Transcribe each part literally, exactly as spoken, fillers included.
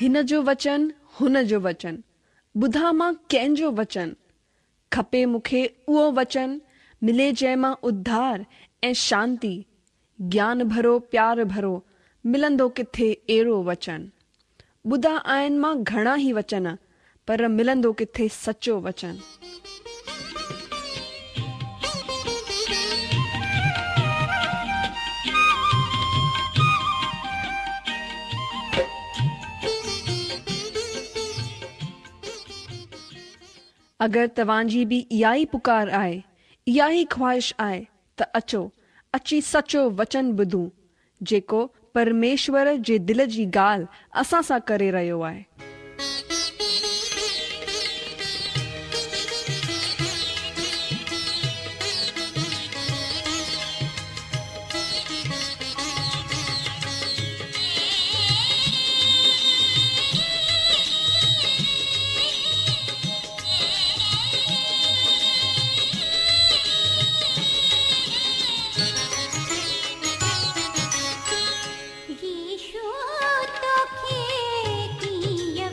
هن جو وچن هن جو وچن، ٻڌان مان ڪنهن جو وچن؟ کپي مون کي اهو وچن، ملي جنهن مان اڌار ۽ شانتي، گيان ڀرو پيار ڀرو، ملندو ڪٿي اهڙو وچن؟ ٻڌا آهن مان گهڻا ئي وچن، پر ملندو ڪٿي سچو وچن؟ اگر توهان جي به اها ئي پڪار آهي، اها ئي خواهش آهي ته اچو، اچي سچو وچن ٻڌون، جيڪو پرميشور جي دل جي ڳالهه اسان سان ڪري رهيو آهي. يسوع توکي ڪيئن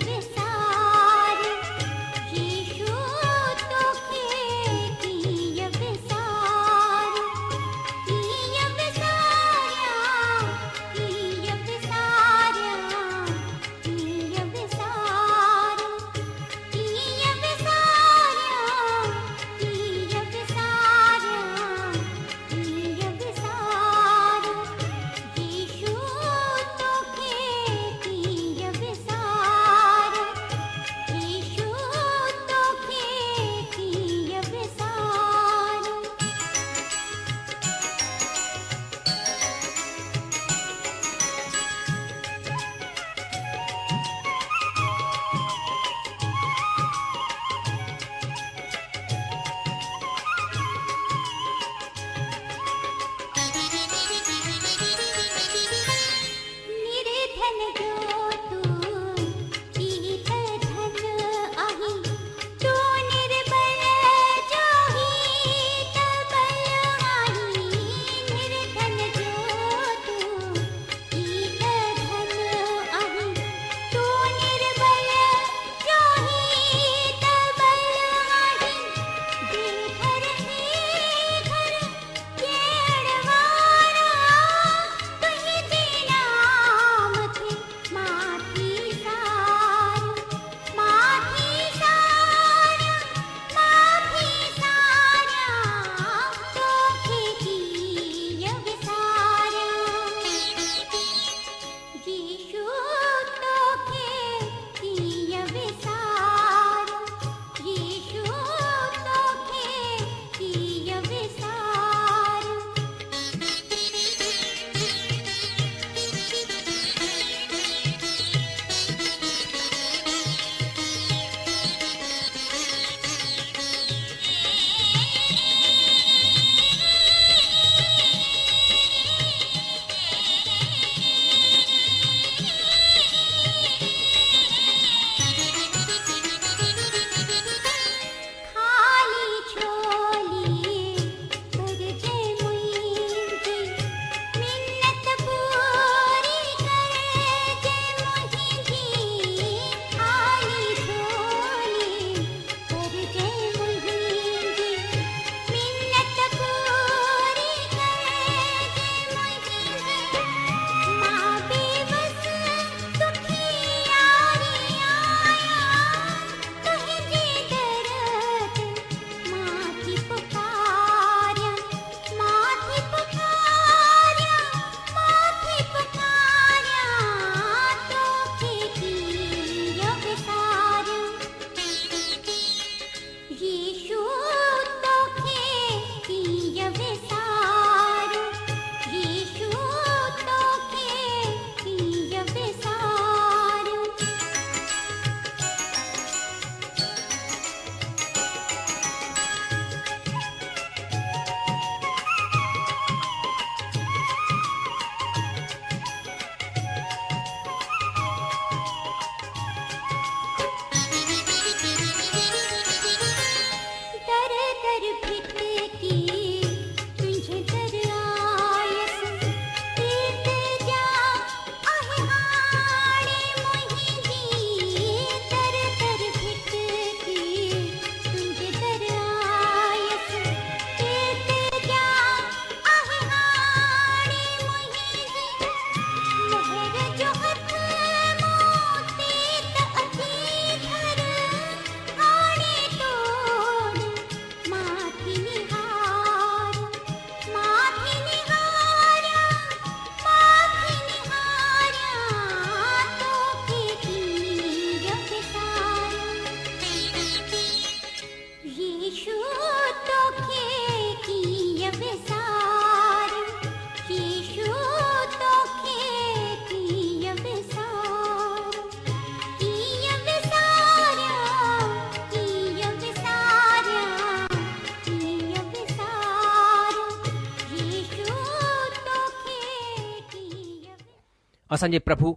اسان جي پرڀو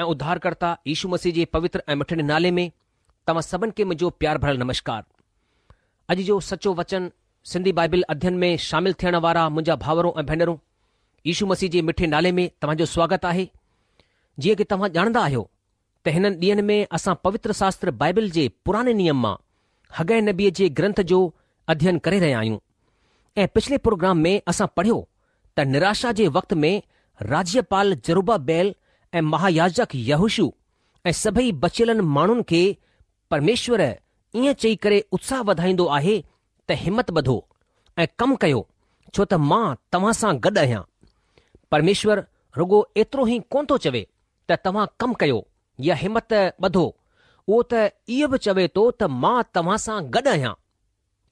۽ اڌارڪرتا يشو مسيح جي پوتر ۽ مٺڙي نالي ۾ توهان سڀن کي منهنجو پيار ڀريل نمشڪار. اڄ جو سچو وچن سنڌي بائبل اڌين ۾ شامل ٿيڻ وارا منهنجا ڀائرو ۽ ڀينرون، يشو مسيح جي مٺي نالي ۾ توهان جو سواگت آهي. جيئن ڪي توهان ڄاڻندا آهيو ته هنن ڏينهن ۾ اسان پوتر شاستر بائبل جي پراڻي نيم مان حگي نبيء جي گرنٿ جو اڌين ڪري رهيا آهيون ۽ پڇلي پروگرام ۾ اسان پڙهيو ته نراشا جي وقت ۾ راجيپال زروبابيل ۽ مهاياجڪ يهوشوع ۽ سڀئي بچيلن ماڻهن کي پرميشور ائين چئي ڪري اتساهه وڌائيندو آهي ته همت ٻڌو ۽ ڪم ڪيو ڇو ته مان توهان سان گڏ آهيان. پرميشور رڳو ايترو ئي ڪونه ٿو چوي ته توهان ڪم ڪيو يا همت ٻڌو، اهو ته اهو به چوي ٿو ته مان توهان سان گڏ آهيان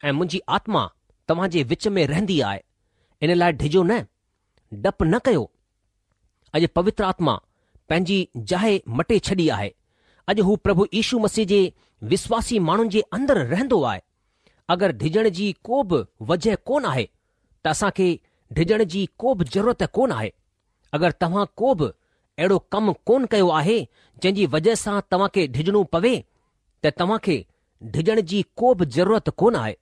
۽ منهنجي آتما توهان جي وچ ۾ رهندي آهي، ان لاء ڊڄو نه، ڊپ نه ڪيو. اڄ پوتر آتما پنهنجي جاء مٽي ڇڏي آهي. اڄ هو پرڀو يشو مسيح جي وشواسي ماڻهن جي اندر رهندو آهي. اگر ڊڄڻ جي ڪو به وجهه ڪونه آهي ته اسان کي ڊڄڻ جي ڪو به ضرورت ڪونه آهي. اگر توهان ڪو به اهڙو ڪم ڪونه ڪيو آهي جنهن جي وجهه سان توهان کي ڊڄڻو پوي ته توهان کي ڊڄڻ جي ڪو به ضرورت ڪونه آهي.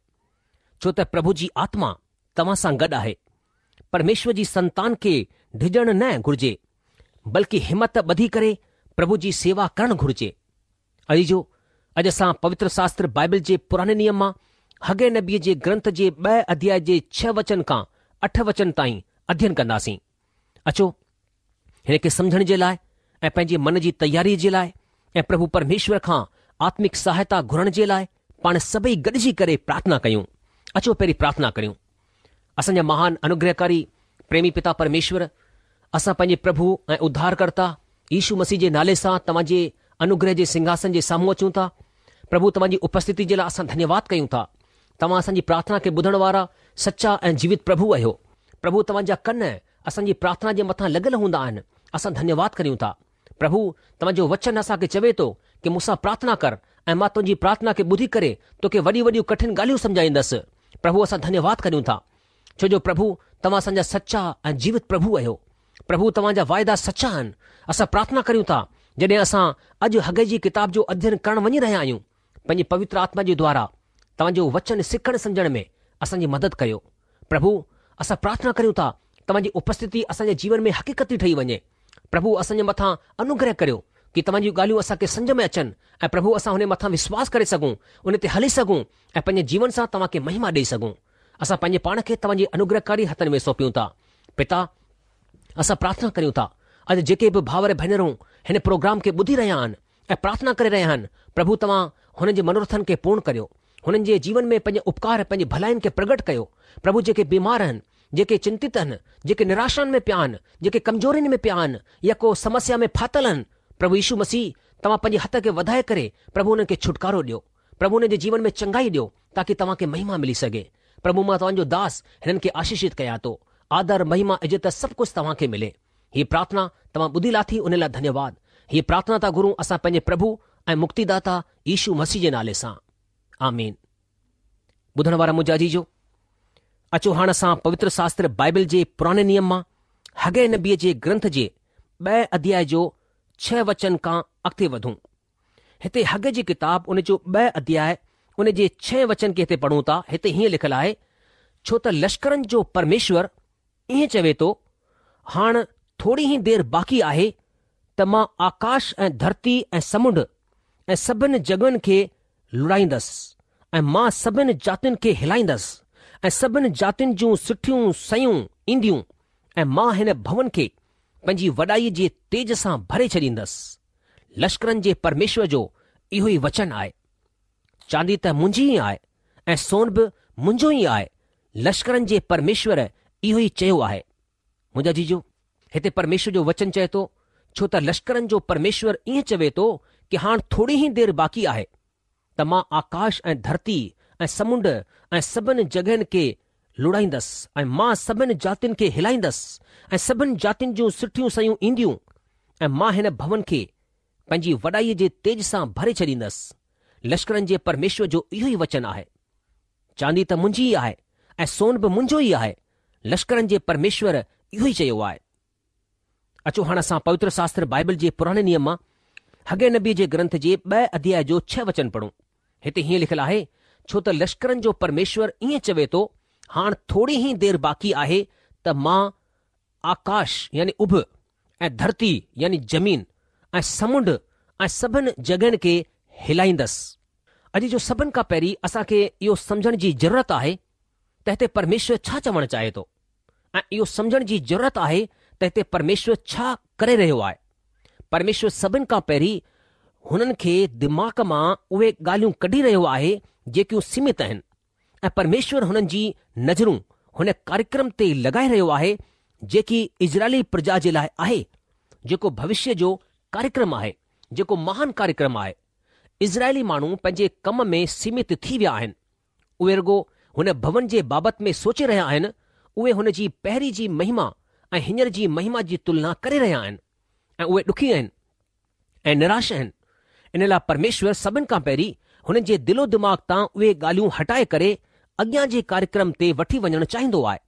ڇو ته پرڀو جي آتما توهان سان گڏ آهي. پرميشور جي سنتان کي ڊڄڻ نه گهرجي، بلڪه همت ٻڌي ڪري پرڀو جي سيوا ڪرڻ گهرجي. عزيزو، اڄ اسان پوتر شاستر بائبل جي پراڻي نيم مان حگي نبيء جي گرنٿ جي ٻه اڌياء جي ڇهه وچن کان اٺ وچن تائين اڌين ڪنداسين. اچو، هن کي سمجهڻ جي لاء ۽ پنهنجي من جي تياريء جي لاء ۽ پرڀو پرميشور کان آتمڪ سهائتا گهرڻ جي لاء پاڻ سڀئي گڏجي ڪري پرارٿنا ڪيون. اچو پهرين پرارٿنا ڪريون. اسان جا مهان انوگرهڪاري پريمي پتا پرميشور، اسان پنهنجي پرڀو ۽ اڌارڪرتا يشو مسيح جي نالي سان توهان جي انوگرهه جي سنگهاسن جي سامهون اچون ٿا. پرڀو توهان جي اپسٿتي جي لاء اسان ڌنيواد ڪيون ٿا. توهان اسان جي پرارٿنا کي ٻڌڻ وارا سچا ۽ جيوت پرڀو آهيو. پرڀو توهان جا ڪن اسان جي پرارٿنا جي مٿان لڳل هوندا آهن. اسان ڌنيواد ڪريون ٿا. پرڀو توهان جو وچن اسان کي چوي ٿو ڪي مون سان پرارٿنا ڪر ۽ مان تنهنجي پرارٿنا کي ٻڌي ڪري توکي وڏيون وڏيون ڪٺن ڳالهيون سمجهائيندس. پرڀو اسان ڌنيواد ڪريون ٿا ڇو جو پرڀو توهان اسان جا سچا ۽ جيوت پرڀو آهيو. پرڀو توهان جا واعدا سچا آهن. اسان پرارٿنا ڪريون ٿا جڏهن اسان اڄ حگي جي ڪتاب جو اڌين ڪرڻ وڃي رهيا آهيون پنهنجي پوتر آتما جي دوارا توهان جو وچن سکڻ سمجهڻ ۾ اسان جي مدد ڪريو. پرڀو اسان پرارٿنا ڪريون ٿا توهان جي اپسٿتي اسان جي جيون ۾ حقيقتي ٺهي وڃي. پرڀو اسان جي مٿان انوگره ڪريو ڪي توهان جون ڳالهيون اسان کي سمجهه ۾ اچن ۽ پرڀو اسان هن مٿان وشواس ڪري سگهون، ان تي هلي سگهون ۽ پنهنجي جيون سان توهان کي مهما ڏئي سگهون. اسان پنهنجي پاڻ کي توهان جي انوگرهڪاري هٿن ۾ سونپيون ٿا. پتا، اسان پرارٿنا ڪريون ٿا، اڄ جيڪي به ڀائر ڀينرون هن پروگرام کي ٻڌي رهيا آهن ۽ پرارٿنا ڪري رهيا آهن، پرڀو توهان هنن جي منورٿن کي پورڻ ڪريو. هنن جي جيون ۾ پنهنجي اپڪار پنهنجي ڀلائين کي پرگٽ ڪيو. پرڀو جيڪي بيمار آهن، جيڪي چنتت آهن، جيڪي نراشائن ۾ پيا آهن، جيڪي ڪمزورين ۾ پيا آهن يا ڪو سمسيا ۾ ڦاٿل آهن، پرڀو يشو مسيح توهان پنهنجي هٿ کي وڌائي ڪري پرڀو انهن کي ڇوٽڪارو ڏيو. پرڀو انهن جي جيون ۾ چنگائي ڏيو تاڪي توهان کي مهما ملي سگهي. پرڀو مان توهان جو داس هنن کي آشيشت ڪيان ٿو. آدر، مهما، عزت سڀ ڪجهه توهان کي ملي. هيء پرارٿنا توهان ٻڌي لاٿي ان لاء ڌنيواد. هيء پرارٿنا ٿا گهرون اسان پنهنجي پرڀو ۽ مڪتيداتا يشو مسيح جي نالي سان. آمين. ٻڌڻ وارا منهنجا عزيزو، اچو هاڻ اسان پوتر شاستر بائبل جي پراڻي نيم مان حگي نبيء جي گرنٿ جي ٻئي اڌياء جو ڇهه وچن کان اڳتي وڌون. هتي حگي جي ڪتاب ان جو ٻه اڌياء ان جي ڇهه وچن کي هتي پڙهون ٿا. هتي هيئن لکيل آهي، ڇو ته لشڪرن جو پرميشور ائين چوي ٿو، هاڻ ٿوري ئي دير باقي آهي ته مان آڪاش ۽ ڌرتي ۽ سمنڊ ۽ سڀن جڳهين کي لوڏائيندس ۽ مان سڀن جاتين کي هلائيندس ۽ سڀن جاتين جون سٺيون شيون اينديون ۽ مان هن ڀون کي پنهنجي وڏائيء جي تيج سان ڀري ڇڏيندس. لشڪرن جي پرميشور جو اهو ئي وچن آهي. چاندي ته منهنجي ئي آهي ۽ سون به منهنجو ئي آهي، لشڪرن جي پرميشور اهو ئي چيو آهي. منهنجا عزيزو، هتي پرميشور جو وچن چئي ٿو، ڇو ته لشڪرن جو پرميشور ائين چوي ٿو ڪي هاڻ ٿوري ئي دير باقي آهي ته مان آڪاش ۽ ڌرتي ۽ سمنڊ ۽ سڀن جڳهين کي لوڏائيندس ۽ مان سڀن جاتين کي هلائيندس ۽ سڀن جاتين جون سٺيون شيون اينديون ۽ مان هن ڀون کي پنهنجي وڏائيء جي تيج سان ڀري ڇڏيندس. لشڪرن جي پرميشور جو اهو ئي وچن آهي. چاندي ته منهنجي ئي آهي ۽ سون به منهنجو ئي آهي، لشڪرن جي پرميشور اهو ئي چيو آهي. اچو هاڻ اسان پوتر شاستر بائبل جي پراڻي نيم مان حگي نبيء جي گرنٿ جي ٻه اڌياء جو ڇهه وچن پڙهون. هتي هيئن لکيل آهي، ڇو ته لشڪرن جو پرميشور ائين چوي ٿو، هاڻ ٿوري ئي دير باقي آهي ته مان آڪاش يعني اڀ ۽ ڌرتي يعني زمين ۽ سمنڊ ۽ سڀن جڳهين کي هلائيندس. اڄ جو سڀن کان پهرين اسان کي اهو سمجهڻ جي ضرورت آهي ته هتي پرميشور ڇا چوڻ چاهي ٿو ۽ اهو سمجهڻ جي ضرورت آهي ته هتي پرميشور ڇا ڪري رهيو آهي. پرميشور سڀن کان پهرين هنن کي دماغ مان اهي ڳالهيون ڪڍي رهيو آهي جيڪيون سيمت آهن ۽ پرميشور هنن جي نظرون هن ڪاريڪرم تي لڳائي رهيو آهي جيڪي اسرائيلي پرجا جي لاء آهي، جيڪو ڀوشيه جو ڪاريڪرم آهي، جيڪو مهان ڪاريڪرم آهي. اسرائيلي ماڻهو پنهنجي ڪم ۾ سيمت ٿي ويا آهن. اهي رڳو هن ڀون جي بابت ۾ سوچي رهيا آهن، اهي هن جي پهرين جي مهما ۽ هينئر جي مهما جي تلنا ڪري رهيا آهن ۽ اهي ڏکي آهن ۽ نراش آهن. ان لاء پرميشور سڀن کان پهرين هنن جي دل و دماغ تان اهي ڳالهيون هٽائي ڪري اڳيان جي ڪاريڪرم تي وٺي وڃڻ چاهيندو آهي،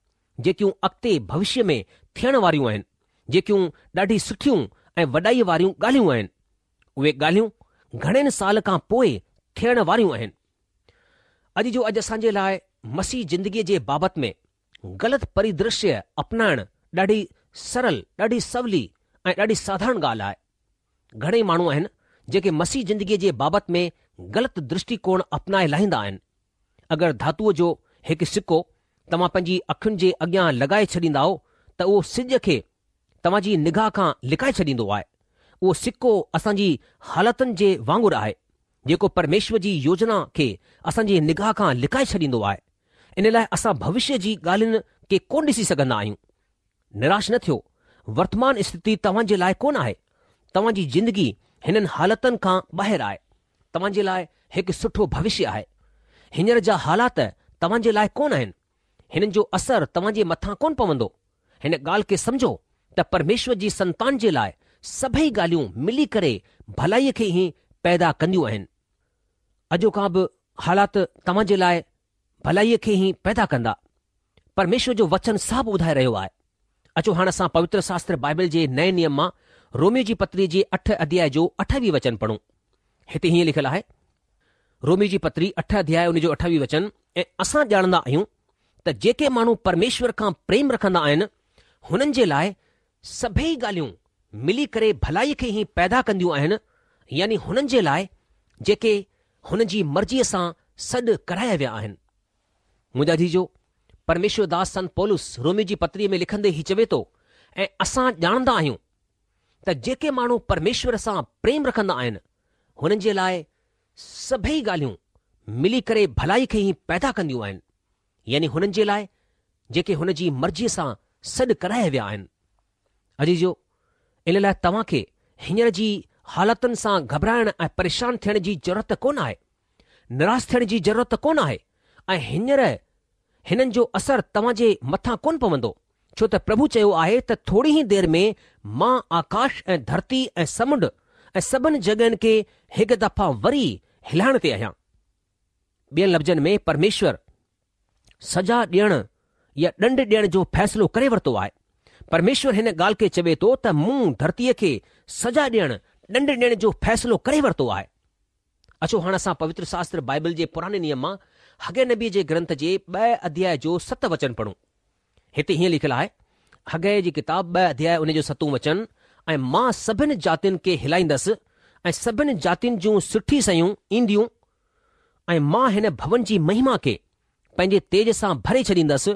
جيڪيون اڳتي ڀوشيه ۾ ٿيڻ واريون آهن، جيڪيون ڏاڍي سٺيون ۽ وڏائي واريون ڳالهيون آهن. اهي ڳالهيون گهڻين سال کان پوء ٿيڻ واريون آهن. اڄ جو اڄ اسان جي لاء مسيح زندگيء جي بابت ۾ غلط پريدرشيه اپنائڻ ڏاڍي سرل، ڏاڍي سولي ۽ ڏاڍي ساڌارڻ ڳالهه آهي. گهڻئي ماڻهو آهن جيڪي مسيح زندگيء جي بابت ۾ غلط درشٽيڪوڻ اپنائي لاهيندا آهن. اگر ڌاتوء جو هڪ سڪو توهان پنهنجي اکين جي اڳيان لڳائي ڇڏيندائو ته اهو سج کي توهان جي نگاهه کان لڪائي ڇڏيندو آهي. اهو سڪو اسان جي حالتن جي وانگر آهي، جيڪو پرميشور جي يوجنا کي اسان جي نگاهه کان لڪائي ڇڏيندو آهي. ان لاء اسان ڀوشيه جي ڳالهين کي ڪونه ڏسي سگهندا آهيون. نراش نه ٿيو، ورتمان اسٿتي توهان جي لاء ڪونه آهي. توهان جي زندگي هنن حالتن کان ٻاهر آهي. توهان جي لاء هڪ سٺو ڀوشيه آهي. هينئر جا حالات توهان جي لاء ڪونه آهن. هنن جو اثر توهان جي مٿان ڪونه پوندو. هن ڳالهه کي سمجهو ته پرميشور جي سنتان جي لاء سڀئي ڳالهيون ملي ڪري ڀلائيء کي ئي پيدا ڪنديون آهن. اڄوڪا به حالات توهان جي لاء ڀلائيء کي ئي پيدا ڪندا. پرميشور جو وچن صاف ٻڌائي رهيو آهي. اچو هاڻ اسان پوتر شاستر بائبل جي نئين نيم مان روميو جي پتري جي اٺ اڌياء جو اٺاويهه وچن پڙهون. هتي هيئن لکيل آهي، روميو جي پتري اٺ اڌياء ان جو اٺاويهه وچن، ۽ اسان ڄاڻندا آهيون ته جيڪي ماڻهو پرميشور کان پريم رکندا آهن، هنن جي لاء سڀيئي ڳالهيون ملي ڪري ڀلائيء کي ئي پيدا ڪنديون آهن، يعني هنن جي لاء جيڪي هن جي مرضيء سان سڏ ڪرايا ويا آهن. منهنجا عزيزو، پرميشور داس سنت پولس روميو جي پتريء ۾ لکندي هي چوي ٿو، ۽ اسان ڄاڻندا آهيون ته جيڪي ماڻهو پرميشور سان پريم رکندا آهن، هنن جي لاء سڀيئي ڳالهيون ملي ڪري ڀلائي کي ئي پيدا ڪنديون آهن، يعني هنن جي لاء جيڪي هن جي مرضيء سان سڏ ڪرايا ويا آهن. عزيزو، ان لاء توهان کي هينئر جي حالتن سان گهٻرائڻ ۽ پريشان ٿيڻ جي ضرورت ڪونه آهي، نراس ٿيڻ جي ضرورت ڪونه آهي ۽ هينئر هنن جو اثر توهان جي مٿان ڪونه پوندو، ڇو ته پرڀو چيو آهي ته ٿوري ئي دير ۾ مان آڪاش ۽ ڌرتي ۽ سمنڊ ۽ سڀن جڳهين کي هڪ دفعا وري هلائڻ تي آهيان. ٻين لفظن ۾ پرميشور سزا ڏيڻ يا ڏنڊ ڏيڻ جو فيصلو ڪري ورتو آهي. پرميشور هن ڳالهه کي چوي ٿو ته مون ڌرتيء کي سزا ڏيڻ، ڏنڊ ڏيڻ جو فيصلو ڪري ورتو آهي. اچو هاڻ اسان پوتر شاستر بائبل جي پراڻي نيم مان حگي نبيء جي گرنٿ جي ٻه اڌياء جو ست وچن پڙهون. هتي هيئن لکيل آهي، حگي جي ڪتاب ٻه اڌياء ان جو ستون وچن، ۽ مان سڀن جاتين کي هلائيندس ۽ سڀن جاتين جون سٺي شيون اينديون ۽ مان هن ڀون جي مهما کي پنهنجي تيج سان ڀري ڇڏيندس،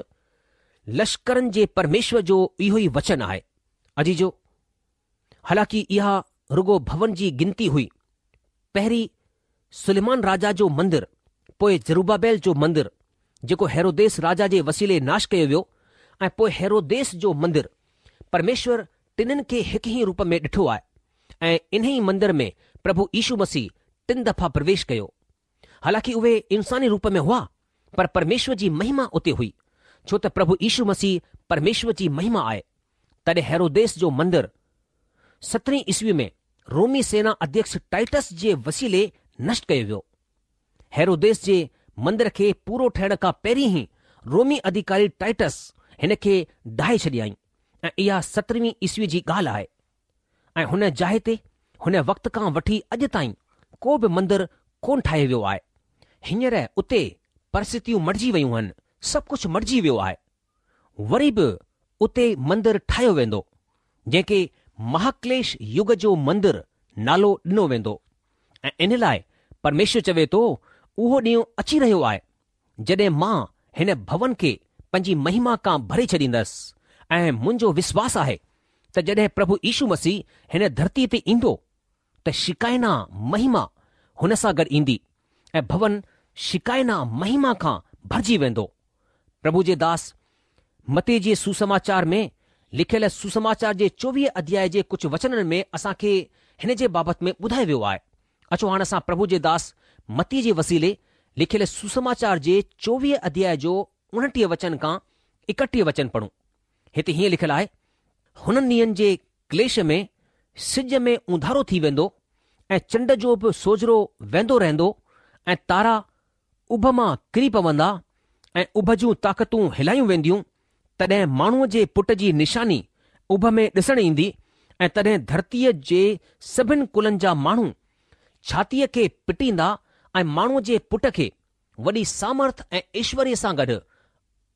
لشڪرن جي پرميشور جو اهو ئي وچن آهي. عزيزو! حالانڪه اها رڳو ڀون جي گنتي هئي، پهرين سليمان راجا جو مندر، پوء زروبابيل جو مندر، جيڪو هيروديس راجا جي وسيلي ناش ڪيو ويو ۽ پوء هيروديس جو مندر، پرميشور ٽنهن کي هڪ ئي روپ ۾ ڏٺو آهي ۽ انهي مندر ۾ پرڀو يشو مسيح ٽن دفعا پرويش ڪيو. حالانڪه اهي انساني روپ ۾ هئا، پر پرميشور جي مهما اتي هئي، ڇو ته پرڀو يشو مسيح پرميشور جي مهما آهي. تڏهن هيروديس جو مندر سترهين عيسوي ۾ رومي سينا اڌيڪش ٽائٽس جي وسيلي نشٽ ڪيو ويو. هيروديس جي مندر کي پورو ٺهڻ کان پهرين ئي رومي اڌيڪاري ٽائٽس هن کي ڊاهي ڇڏيائين ۽ اها سترهين عيسوي جي ڳالهه آهي. ۽ هن جاءِ تي هن وقت کان وٺي اڄ تائين ڪو به مندر ڪونه ٺاهيو ويو آهي. هينئر اتي پرسٿتيون مٽجي ويون آهن، سڀ ڪجهه مٽجي ويو آهي. وري به اتي مندر ٺاهيو ويندو، جنهن کي مهاڪليش يگ جو مندر نالو ڏنو ويندو ۽ ان لاء پرميشور چوي ٿو، اهو ڏينهن اچي رهيو آهي، جڏهن مان هن ڀون کي پنهنجي مهما کان ڀري ڇڏيندس ۽ منهنجو وشواس آهي ته جڏهن پرڀو يشو مسيح هن ڌرتيء تي ايندو ته شڪائنا مهما هن سان گڏ ايندي ۽ ڀون شڪائنا مهما کان ڀرجي ويندو. پرڀو جي داس متي جي سوسماچار ۾ لکيل سوسماچار جي چوويهه اڌياء جي ڪجهه وچنن ۾ اسان کي هن جي بابت ۾ ٻڌايو ويو آهي. اچو هاڻ اسان پرڀو جي داس متي جي وسيلي لکيل سوسماچار جي چوويهه اڌياء جو اڻٽيهه وچن کان ايڪٽيهه وچن پڙهون. هتي هيئن لکيل آهي، هنن ڏينهن جي ڪليش ۾ سج ۾ اونڌارو ٿي ويندو ۽ چنڊ جو به سوجهرو ويندو رهندو ۽ تارا اڀ مان ڪري پوندا ۽ اڀ جون طاقتون هلايون وينديون، تڏهن ماڻهوء جي پٽ جي نشاني اڀ ۾ ڏسڻ ايندي ۽ تڏهن ڌرتيء جي سڀن ڪلن جا ماڻهو ڇاتيء کي پٽيندا ۽ ماڻهوء جي پٽ کي وڏي سامرٿ ۽ ايشوريه سان گڏ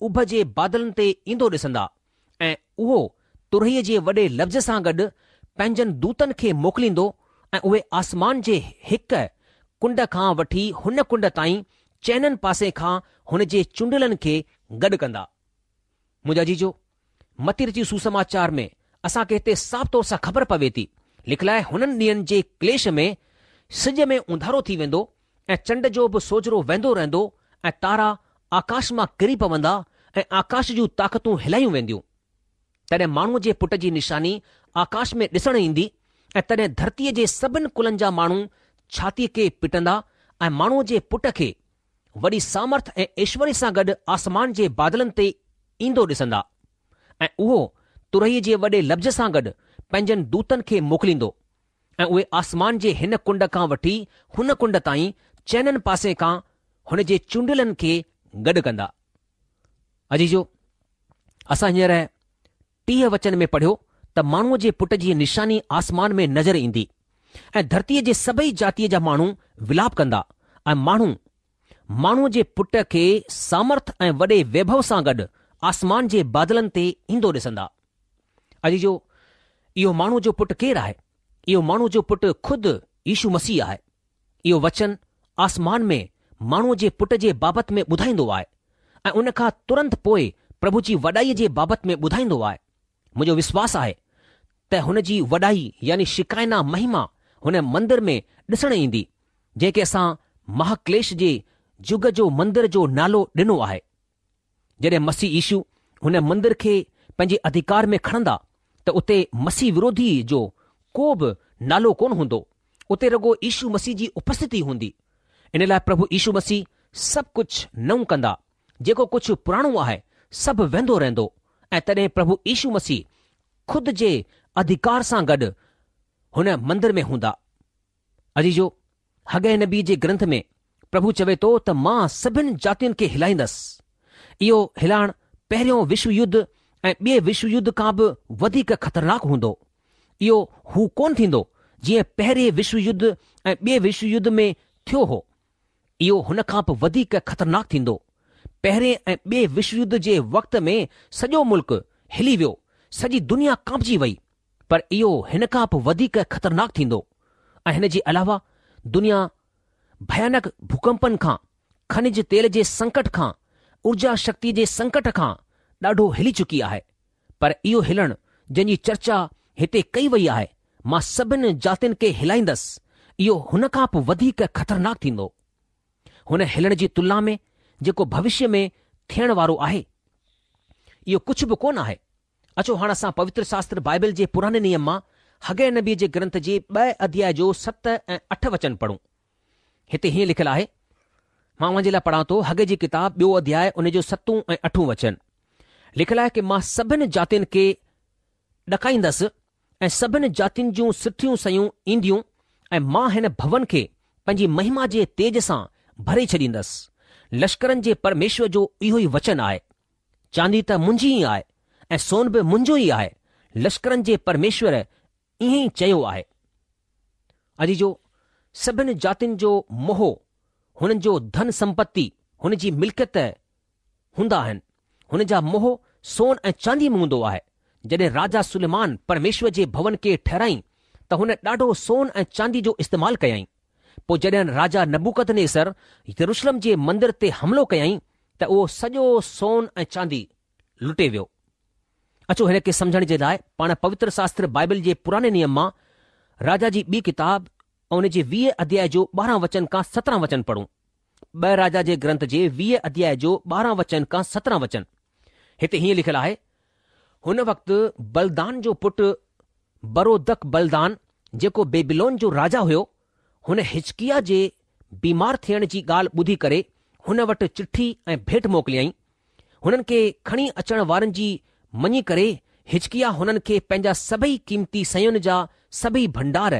اڀ جي بادلن تي ايندو ڏسندا ۽ اهو ترهيء جي وڏي لفظ سان گڏ پنهنجن دوتن کي موڪليندو ۽ اهي آسمان جي هڪ ڪنڊ کان وٺي هن ڪنڊ تائين چئنن پاسي کان هن جي چونڊيلن کي گڏ ڪندا. منهنجا عزيزو، متي رچت سوسماچار ۾ اسان کي هتي صاف طور سان خبر پوي ٿي، لکيل آهي هنن ڏينهن جي ڪليش ۾ سج ۾ اونڌارو ٿي ويندو ۽ چنڊ جو به سوجهرو ويندو رهندو ۽ تارا آڪاش مان ڪري پوندا ۽ آڪاش جون طاقتون هلايون وينديون. تڏهن ماڻهوء جي پٽ جي نشاني آڪاش ۾ ڏسڻ ايندي ۽ تڏهن ڌرتيء جي سڀن ڪلن جا ماڻهو ڇاتيء کي پٽندا ۽ ماڻهوء جي پٽ کي وڏي سامرٿ ۽ ايشوريه سان گڏ آسمان جي بادلن تي ايندو ڏسندا ۽ اهو ترهيء جي وڏي لفظ سان گڏ پنهنجن دوتن کي موڪليندو ۽ اهي آسمان جي هن ڪنڊ کان وٺي هن ڪنڊ تائين چئنن پاسي کان هن جي چونڊيلن کي گڏ ڪندا. عزيزو! اسان هينئر ٽيهه وچن ۾ پڙهيو ته ماڻهوء جي پٽ جي نشاني آسمان ۾ نظر ايندي ۽ ڌرتيء جي سڀئي جاتيء جا ماڻهو ولاپ ڪندا ۽ ماڻهو ماڻهوء جي پٽ کي سامرٿ ۽ وڏي ويڀو سان گڏ آسمان جي بادلن تي ايندو ڏسندا. عزيزو! اهو ماڻهوء جو پٽ ڪير آهي؟ اهو ماڻهوء جو پٽ خود يشو مسيح آهي. اهو وچن آسمان ۾ ماڻهوء جي پٽ جي بابت ۾ ٻڌائيندو آهي ۽ ان کان ترنت پوء پرڀو جي وڏائيء جي بابت ۾ ٻڌائيندو آهي. منهنجو وشواس آهي ته هن جي وڏائي يعني شڪائنا مهما هن مندر ۾ ڏسڻ ايندي، جنهن کي اسان مهاڪليش جي جگ جو مندر جو نالو ڏنو آهي. جڏهن مسيح يشو هن مندر کي پنهنجي اڌڪار ۾ کڻندا ته اتي مسيح وروڌي جو ڪو به نالو ڪونه هوندو، اتي رڳو يشو مسيح جي اپسٿتي هوندي. ان لاء پرڀو يشو مسيح سڀ ڪجهه نئون ڪندا، جيڪو ڪجهه پراڻو آهي سڀ ويندو رهندو ۽ تڏهن پرڀو يشو مسيح خود جي اڌڪار سان گڏ هن مندر ۾ هوندا. عزيزو! حگي نبيء جي گرنٿ ۾ پرڀو چوي ٿو ته مان سڀن جاتين کي هلائيندس. اهو هلائڻ پهريون وشو يڌ ۽ ٻئي وشو يڌ کان به وڌيڪ خطرناڪ هوندو. اهو هو ڪونه ٿيندو جيئن پهرين وشو يڌ ۽ ٻئي وشو يڌ ۾ ٿيو هو. اهو هن کان به وڌيڪ خطرناڪ ٿيندو. پهرين ۽ ٻئي وشو يڌ جي وقت ۾ سڄو ملڪ هلي ويو، سڄي دنيا ڪانپجي وئي. پر اهو هن کان به وڌيڪ خطرناڪ ٿيندو ۽ هن جي علاوه دنيا ڀيانڪ ڀوڪمپن کان، کنج تيل جي سنڪٽ کان، اورجا شڪتي جي سنڪٽ کان ڏاڍو هلي چڪي آهي. پر اهو هلڻ جنهن جي چرچا هتي ڪئي وئي آهي، مان سڀن جاتين کي هلائيندس، اهو هن کان به وڌيڪ خطرناڪ ٿيندو. هن هلڻ جي تلنا ۾ جيڪو ڀوشيه ۾ ٿيڻ وارو آهي، اهو ڪجهه به ڪونه آهي. اچو هاڻ اسان پوتر شاستر بائبل جي پراڻي نيم مان حگي نبيء جي گرنٿ جي ٻئي اڌياء جو ست ۽ اٺ وچن پڙهون. هتي هيئن لکيل آهي، مان اوهان جي لاء پڙهان ٿو حگي جي ڪتاب ٻيو اڌياء ان جو ستون ۽ اٺون وچن. لکيل آهي ڪي مان سڀن جاتين کي ڏڪائيندس ۽ سڀن جاتين جون سٺيون شيون اينديون ۽ مان هن ڀون کي پنهنجي مهما جي تيج سان ڀري ڇڏيندس. لشڪرن جي پرميشور جو اهو ئي وچن آهي. چاندي ته منهنجي ئي آهي ۽ سون به منهنجو ئي آهي، لشڪرن جي پرميشور ائين ئي چيو آهي. عزيزو، سڀن جاتين جو موهه هنن جو ڌن سمپتي، هن جي ملڪيت هوندا آهن. هن جا موهه سون ۽ چانديء ۾ هوندو آهي. جڏهن راجا سليمان پرميشور جي ڀون کي ٺهرائين ته هن ڏاڍو سون ۽ چاندي جو استعمال ڪيائين. پوء جڏهن راجا نبوڪدنيسر يروشلم جي مندر تي حملو ڪيائين ته اهو سڄو سون ۽ چاندي لٽي ويو. اچو هن کي سمجهڻ جي لاء پاڻ پوتر شاستر بائبل جي پراڻي نيم مان راجا جي ٻي ڪتاب ۽ ان جي ويهه اڌياء جو ٻارهن وچن کان سترهن وچن پڙهون. ٻه راجا جي گرنٿ جي ويهه اڌياء جو ٻارهن وچن کان سترهن وچن. هتي هيئن لکيل آهي، هن وقت بلدان جو پٽ برودڪ بلدان جيڪو بيبيلون جو راجا هيو، هن حزقياه جي بيمار ٿيڻ جي ڳالهه ٻڌي ڪري هن وٽ چٺي ۽ ڀيٽ موڪليائين. هنن کي کڻي اچڻ وارن جي مڃي ڪري حزقياه هنن کي پنهنجا سڀئي قيمتي شين جا سڀئي ڀنڊار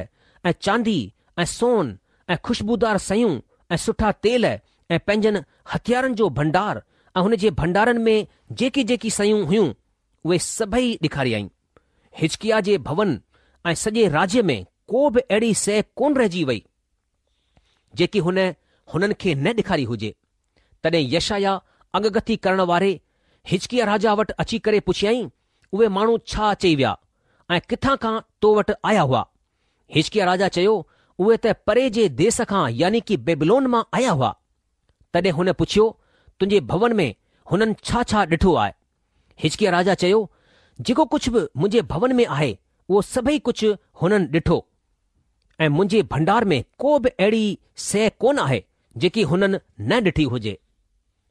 ۽ چاندي ۽ سون ۽ خوشبودار شيون ۽ سٺا تيل ۽ پنهنجن هٿيارن جو ڀنڊار ۽ هن جي ڀنڊارن ۾ جيڪي جيڪي شيون هيون اهي سڀئي ڏيکاريائين. حزقياه جي ڀون ۽ سڄي راجيه ۾ ڪو به اهڙي شيء ڪونه رهجي وئي، جيڪي هن هنن کي نه ڏيکاري هجي. تڏهن يشعيا اڳڪٿي ڪرڻ واري حزقياه راجا وٽ اچي ڪري پڇيائين، اهي ماڻهو ڇا چئي ويا ۽ ڪٿان کان تو وٽ آيا هئا؟ حزقياه راجا چيو، اهي ته پري جي ديس کان يعني ڪي بيبلون مان آيا هئا. تڏهن هن پڇيو، تنهنجي ڀون ۾ هنن ڇا ڇا ڏٺو آهي؟ حزقياه راجا چيو، جيڪو ڪجهه به منهنجي ڀون ۾ آهي، اهو سڀئي ڪجهه هنن ڏٺو ۽ منهنجي ڀنڊار ۾ ڪو به اهڙي شيء ڪونه آهي، جيڪي هنن نه ڏٺي هجي.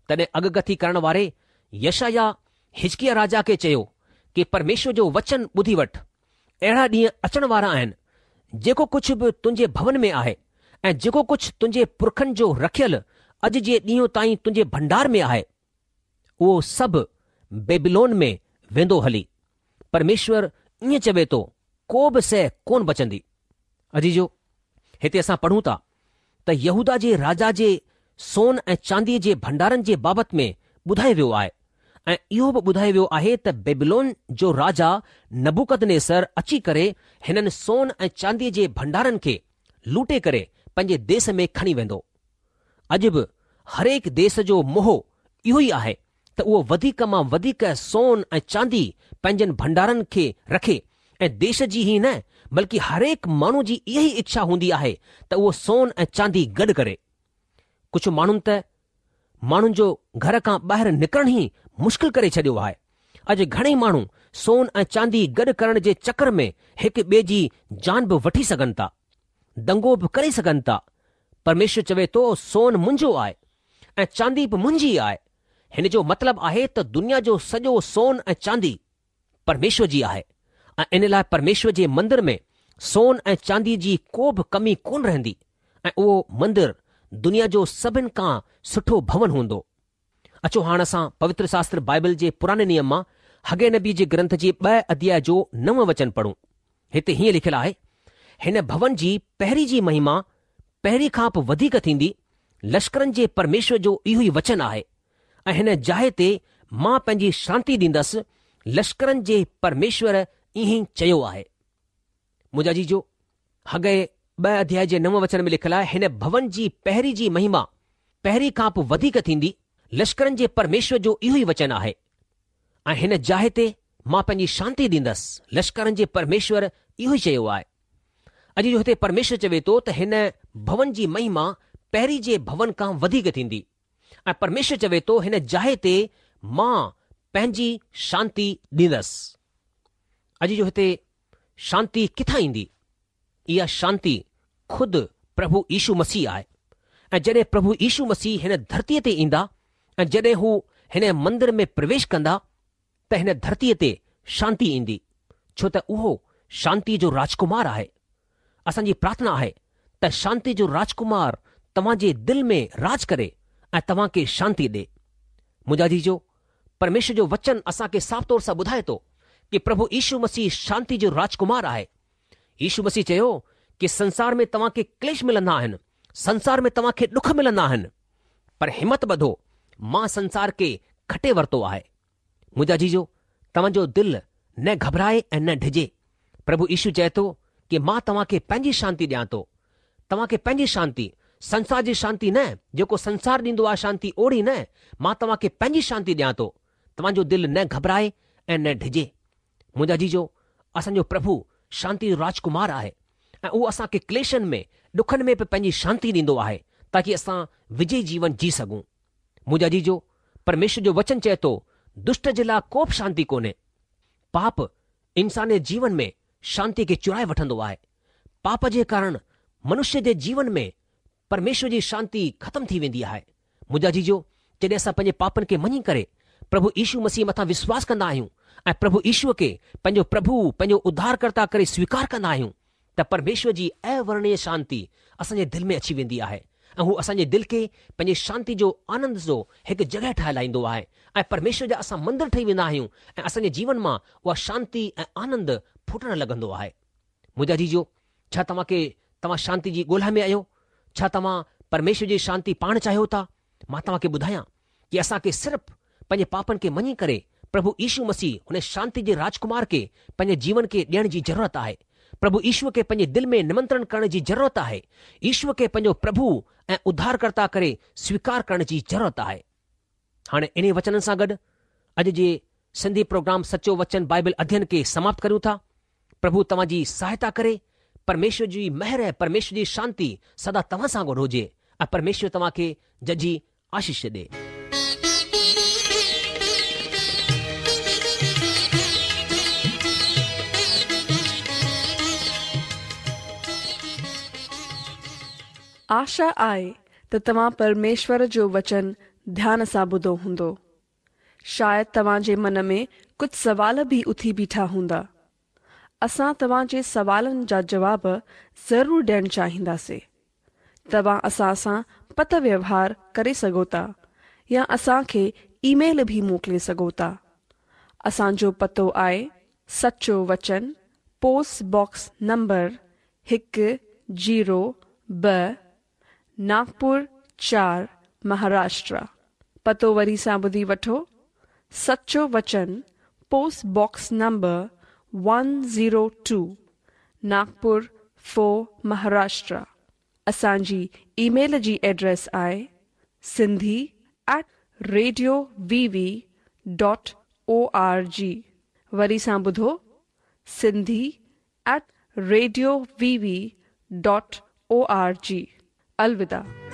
تڏهن اڳڪٿي ڪرڻ واري يشعيا حزقياه راجا کي چيو ڪي پرميشور جو وچن ٻڌي وٺ، اهڙا ڏينهن اچڻ وارا آهن، جيڪو ڪجهه به تنهنجي ڀون ۾ آهي ۽ جيڪو ڪجهه تنهنجي پرکن جو رکيل اڄ جي ڏينهن تائين تنهنجي ڀنڊار ۾ آهي، اهو سڀ بيبيلون ۾ ويندو هلي. پرميشور ائين چوي ٿو، ڪو به شيء ڪونه بچندي. عزيزو، هتي اسان پڙهون ٿا ته يهوداه جي راجا جي سون ۽ چانديء جي ڀنڊارن جي بابت ۾ ٻڌايو ويو آهي ۽ اهو به ٻڌايو ويو آهي ته بيبيلون جو راجا نبوڪدنيسر اچي ڪري هنن سون ۽ چانديء جي ڀنڊارن کي لوٽي ڪري پنهنجي ديس ۾ کڻي ويندو. اڄ به هرهڪ ديس جو موهه اهو ئي آهي ته اهو وڌيڪ مان وڌيڪ سون ۽ چاندي پنهنجن ڀنڊارن کي رکي ۽ ديش جي ئي نه بلڪه هرهڪ ماڻهو جي اها ئي اڇا هوندي آهي ته اهو سون ۽ چاندي گڏ ڪري. ڪجهه ماڻهن ته ماڻهن جو گهر کان ٻاهر نڪرڻ ئي مشڪل ڪري ڇڏيو آهي. اڄ گهڻئي ماڻهو سون ۽ چاندي گڏ ڪرڻ جي چڪر ۾ هڪ ٻئي جي جان به وٺي سگهن ٿا. دنگو به ڪري سگهن ٿا. پرميشور چوي ٿو سون منهنجو آهي ۽ چاندي به منهنجي آهي. هن جو مطلب آهي ته دنيا جو سڄو سون ۽ چاندي پرميشور جي آهي ۽ ان لاء پرميشور جي مندر ۾ سون ۽ چاندي جي ڪو به ڪمي ڪونه رهندي ۽ اهو مندر دنيا جو سڀن کان سٺو ڀون هوندو. اچو هاڻ اسان پوتر شاستر بائبل جي پراڻي نيم مان حگي نبي جي گرنٿ جي ٻه اڌياء جو نو وچن پڙهون. هتي هيئن لکيل آهي، هن ڀون جي پهرين جي مهما پهرين کان به وڌيڪ ٿيندي، لشڪرن جي پرميشور جو اهو ئي وچن آهي، ۽ هن جاء تي مان پنهنجي شانتي ڏيندس، لشڪرن جي پرميشور ائين ئي چيو آهي. منهنجا عزيزو، حگي ٻه اڌياء جي نو وچن ۾ لکيل آهي، هن ڀون جي پهرين جي مهما پهرين کان به وڌيڪ ٿيندي، لشڪرن جي پرميشور جو اهو ئي وچن آهي. ۽ هن جاء تي مان پنهنجي شانتي ڏيندس، لشڪرن جي پرميشور اهو ئي چيو آهي. عزيزو هتي پرميشور چوي ٿو ته هن ڀون جي مهما پهرين جي ڀون کان وڌيڪ ٿيندي ۽ پرميشور چوي ٿو هن جاء تي مان پنهنجي شانتي ڏيندس. عزيزو هتي شانتي ڪٿان ايندي؟ اها شانتي خود پرڀو يشو مسيح آهي ۽ جڏهن پرڀو يشو مسيح هن ڌرتيء تي ايندا ۽ جڏهن هو هن مندر ۾ پرويش ڪندا ته هن ڌرتيء تي شانتي ايندي، ڇو ته اهو شانتيء جو راجڪمار آهي. اسان جي پرارٿنا آهي ته شانتيء جو راجڪمار توهان جي دل ۾ راج ڪري ۽ توهان کي شانتي ڏي. منهنجا عزيزو، پرميشور جو وچن اسان کي صاف طور سان ٻڌائي ٿو ڪي پرڀو يشو مسيح شانتي جو راجڪمار آهي. يشو مسيح چيو ڪي سنسار ۾ توهان کي ڪليش ملندا آهن، سنسار ۾ توهان کي ڏک ملندا آهن، پر همت ٻڌو، مان سنسار کي کٽي ورتو آهي. منهنجا عزيزو، توهان جو دل نه گهٻرائي ۽ نه ڊڄي. پرڀو يشو چئي ٿو ڪي مان توهان کي پنهنجي شانتي ڏيان ٿو. توهان کي پنهنجي شانتي، سنسار جي شانتي نه، جيڪو سنسار ڏيندو آهي شانتي اوڙي نه، مان توهان کي پنهنجي شانتي ڏيان ٿو. توهان جو دل نه گهٻرائي ۽ نه ڊڄي. منهنجا عزيزو، اسان جو پرڀو شانتي جو راجڪمار آهي ۽ اهو اسان کي ڪليشن ۾، ڏکن ۾ به پنهنجي شانتي ڏيندو آهي تاڪي اسان وجئي جيون جي سگهون. منهنجا عزيزو، پرميشور جو وچن چئي ٿو، دشٽ جي لاء ڪو به شانتي ڪونهي. پاپ انسان جي جيون ۾ شانتي کي چرائي وٺندو آهي. پاپ جي ڪارڻ منشيه جي جيون ۾ پرميشور جي شانتي ختم ٿي ويندي آهي. منهنجا عزيزو، جڏهن اسان پنهنجي پاپن کي مڃي ڪري پرڀو يشو مسيح مٿان وشواس ڪندا آهيون ۽ پرڀو يشوء کي پنهنجو پرڀو، پنهنجو اڌارڪرتا ڪري سويڪار ڪندا آهيون ته پرميشور جي اورڻيه شانتي اسان جي دل ۾ اچي ويندي آهي ۽ هو اسان جي دل کي پنهنجي شانتي جو آنند جو هڪ جڳهه ٺاهي لاهيندو آهي ۽ پرميشور جا اسان مندر ٺهي ويندا آهيون ۽ اسان جي جيون مان اها شانتي ۽ آنند ڦٽڻ لڳندو آهي. منهنجا عزيزو، ڇا توهان کي توهان شانتي جي ڳولها ۾ آهيو؟ ڇا توهان پرميشور جي شانتي پاڻ چاهيو ٿا؟ مان توهان کي ٻڌايان ڪي اسان کي صرف پنهنجي پاپن کي مڃي ڪري پرڀو يشو مسيح هن شانتي جي راجڪمار کي پنهنجي جيون کي ڏيڻ جي ضرورت آهي. پرڀو يشوء کي پنهنجي دل ۾ نمنترڻ ڪرڻ جي ضرورت آهي. يشوء کي پنهنجو پرڀو ۽ اڌارڪرتا ڪري سويڪار ڪرڻ جي ضرورت آهي. هاڻي انهي وچنن سان گڏ اڄ جي سنڌي پروگرام سچو وچن بائبل اڌين کي سماپت ڪريون ٿا. پرڀو توهان جي سهائتا ڪري. پرميشور جي مهر ۽ پرميشور جي شانتي سدا توهان سان گڏ هجي ۽ پرميشور توهان کي ججهي آشيش ڏي. آشا آهي ته توهان پرميشور جو وچن ڌيان سان ٻڌو هوندو. شايد توهان جي من ۾ ڪجهه سوال به اٿي بيٺا هوندا. اسان توهان جي سوالن جا جواب ضرور ڏيڻ چاهينداسين. توهان اسان سان پتر ويوهار ڪري سگهو ٿا يا اسان کي اي ميل به موڪلي سگهو ٿا. اسان جو پتو آهي سچو وچن پوسٽ باڪس نمبر هڪ زيرو ٻه ناگپور چار مهاراشٽر. پتو وري سان ٻڌي وٺو، سچو وچن post box number one zero two Nagpur four Maharashtra. اسان جي اي ميل جي ايڊريس آهي Sindhi at radio V V dot O R G. وري سان ٻڌو Sindhi at radio V V dot O R G. الوداع.